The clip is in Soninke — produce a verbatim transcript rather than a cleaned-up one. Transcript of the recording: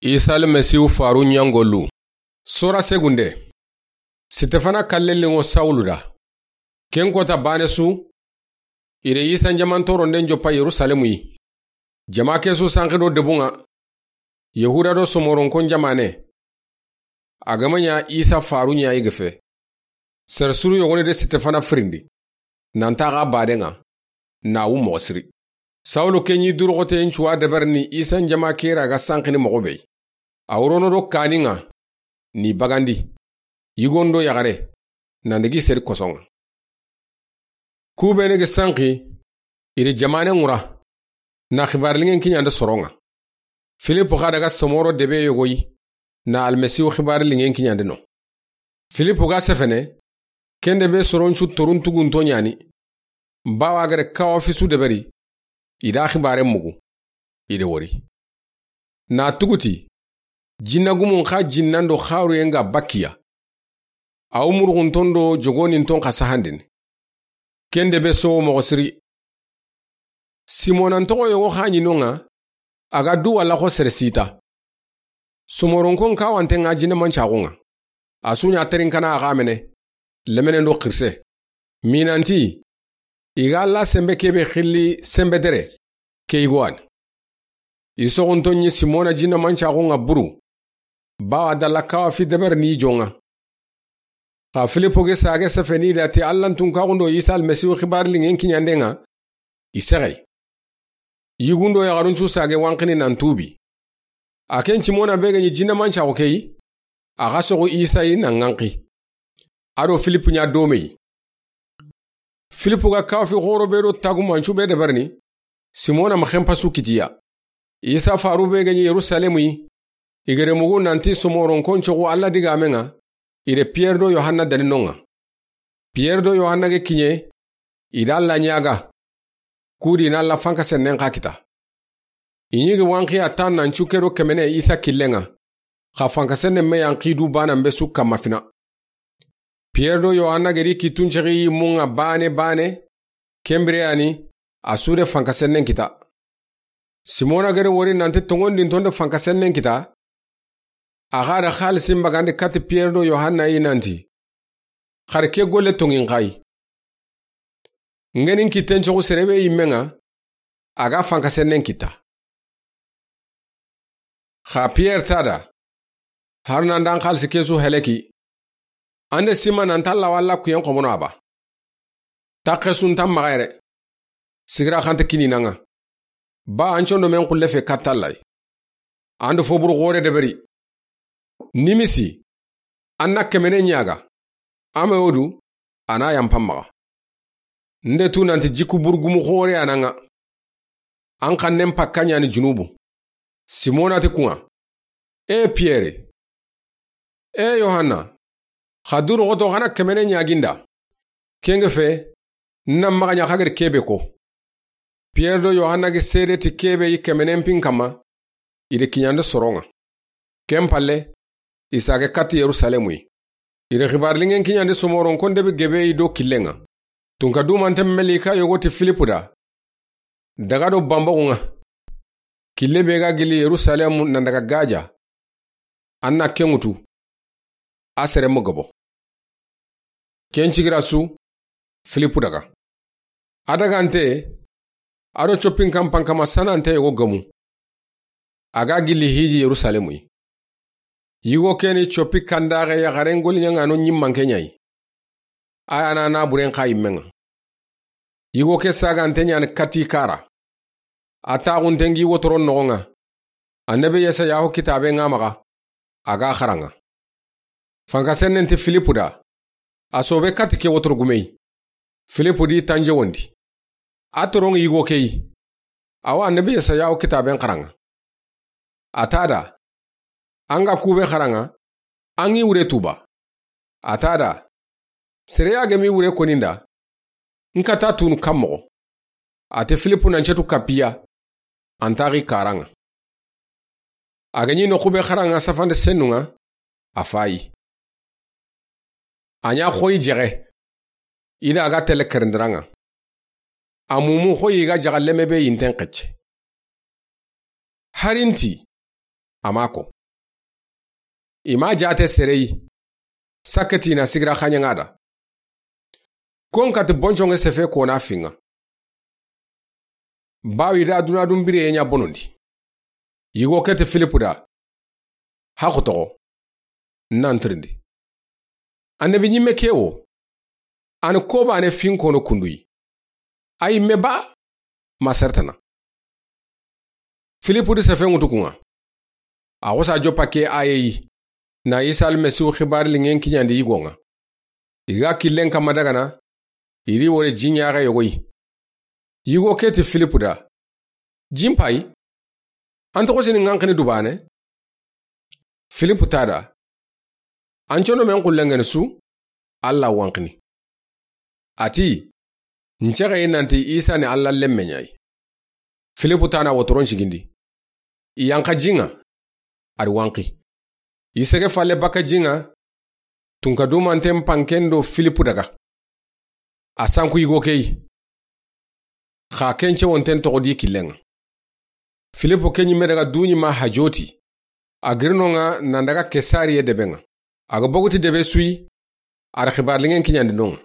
Isa Almasihu faru ɲangolu. Sora segunde. Sitefana kallellinŋo Sawulu da. Ken kota baane su, i re Isa n jaman toronden joppa Yerusalemu yi. Jama ke su sanki do debun ŋa, Yahuda do Somoronkon jamaane. A ga ma ɲa Isa faru ɲa i ge fe, sere suru yogoni de Sitefana firindi, nan ta xa baden ŋa, na wu moxo siri. Sawulu ke ɲi duroxoteyen cuwa deberini Isa n jama ke ra ga sankini moxo be yi. A wurono do kanin ŋa, ni bagandi, yigon do yaxare, nan digi seri koson ŋa. Ku bene ge sanki, i ri jamaane ŋura, na xibaari linŋen kiɲande soron ŋa. Filipu xa daga Somoro debe yogo yi, na Almasihu xibaari linŋen kiɲande no. Filipu ga sefene, ken debe soron su torun tugunto ɲaani, bawa gere kawa fisu deberi, i da xibaaren mugu, i de wori. Na tuguti, jinna gumun xa jinnan do xaruyen ga bakkiya. A wu muruxunton do jogoninton xa sahandini. Ken debe sowo moxo siri. Simona n toxo yogo xa ɲi non ŋa, a ga du walla xo sere sita. Somoronkon kawanten ŋa jinne mancaxun ŋa. A su ɲa terinkana a xa mene, lemenen do xirise. Minanti, i ga Alla senbe kebe xilli senbe dere, ke i go wa ni. I soxunton ɲi Simona jinne mancaxun ŋa buru, bawa dalla kawa fi deber ni jon ŋa. Xa Filipu ge sage sefeni da ti Alla n tunkaxun do Isa Almasihu xibaari linŋen kiɲanden ŋa, i sexe yi. Yigun do yaxarun cu sage wanxini nan tuubi. A ken Simona be ga ɲi jinne mancaxu ke yi, a xa soxu Isa yi nan ŋanxi. A do Filipu ɲa dome yi. Filipu ga kawa fi xoro be do tagumancu be deberini, Simona ma xenpa su kitiya. Isa faru be ga ɲi Yerusalemu yi, i gere mugu nanti Somoronkon coxu Alla digaamen ŋa, i re Piyere do Yohanna dani non ŋa. Piyere do Yohanna ge kiɲe, i da Alla ɲaaga, ku di na Alla fankasennen xa kita. I ɲi gi wanxiya tan nan cu ke do kemene Isa killen ŋa, xa fankasennen me yan xi du banan be su kamma fina. Piyere do Yohanna gedi kittun cexi yimmun ŋa baane baane, ken bire ya ni, a su de fankasennen kita. Simona gere wori nanti tonŋondinton de fankasennen kita, a xa da xaalisin bagandi kati Piyere do Yohanna yi nanti, xari ke golle tonŋin xa yi. N ge ni n kitten coxu sere be yinmen ŋa, a ga fankasennen kita. Xa Piyere ta da, hari nan da n xaalisi ke su heleki, an de sima nan ta Alla walla kuyen xomono a ba. Taxe su nta maxa yere, sigira xa nta kini nan ŋa. Ba an condo men xulle fe katta Alla yi. An do fo buru xore deberi. Nimisi, an na kemene ɲaaga, a ma wo du, a na yanpa maxa. N de tu nanti jikku buru gumu xore ya nan ŋa. An xannen pakka ɲa ni junubu. Simona ti kun ŋa, e Piyere, e Yohanna, xa du roxoto xa na kemene ɲaagi n da. Ken ge fe, n na maxa ɲa xa gedi kebe ko. Piyere do Yohanna ge seede ti kebe yi kemenen pin kamma, i de kiɲande soron ŋa. Ken palle, i sage kati Yerusalemu yi. I de xibaari linŋen kiɲandi Somoronkon debe gebe yi do killen ŋa. Tunka dumanten melika yogo ti Filipu da, daga do banboxun ŋa. Kille be ga gili Yerusalemu nan daga Gaja, an na ken ŋutu, a sere mo gabo. Ken cigira su, Filipu daga. A dagante, a do coppin kampan kama sanante yogo gamu. A ga gili hiji Yerusalemu yi. Yigo ke ni coppi kandaxe yaxaren goliɲaŋano ɲimmanke ɲa yi. A ya na na buren xa yinmen ŋa. Yigo ke sagante ɲa ni kati kara. A taxunten gi wotoro noxon ŋa. Annabi Yesayahu kitabe ŋa maxa, a ga xaran ŋa. Fankasennen ti Filipu da, a sobe kati ke wotoro gume yi. Filipu di tanje wondi. A toron yigo ke yi. Awa annabi Yesayahu kitaben xaran ŋa. A ta da, an ga kube xaran ŋa, an ŋi wure tuba. A ta da, sere ya gemi wure koninda, n ka ta tunu kan moxo. A te Filipu nan cetu kapiya, an taxi karan ŋa. A ga ɲi no xube xaran ŋa safande sennun ŋa, a fayi. A ɲa xoyi jexe. I da a ga tele kerendiran ŋa. A mumu xoyi ga jaxa leme be yinten xecce. Harinti, a ma ko. I ma jaate sere yi. Sakketi na sigira xaɲaŋa da. Kon kati bonconŋe sefe kona fiŋa. Bawi da duna dun bire ɲa bonondi. Yigo keti Filipu da. Haxu toxo. Nantirindi. Annabi ɲimme kewo. Ani kobane finkono kunduyi. Ayi me ba. Ma sertana. Filipu di sefe ŋutu kuŋa. A xosa joppa ke ayeyi. Na Isa Almasihu xibari liŋen kiɲandi yigoŋa. I ga killen kamma dagana. I ri wore jiɲaxe yogoyi. Yigo keti Filipu da. Jinpayi. An toxo sini ŋanxini dubane. Filipu tada. An cono men xullenŋeni su. Alla wanxini. Ati. N cexeyi nanti Isa ni Alla lemme ɲayi. Filipu tana wotoron sigindi. I yanxa jiŋa. Ari wanxi. I sege falle bakka jiŋa. Tunka dumanten panken do Filipu daga. A sanku yigo keyi. Xa ken cewonten toxo di killenŋa. Filipu ke ɲimme daga duɲi ma hajoti. A girinoŋa nan daga Kesariye debeŋa. A ga boguti debe suyi. Ari xibari liŋen kiɲandi noŋa.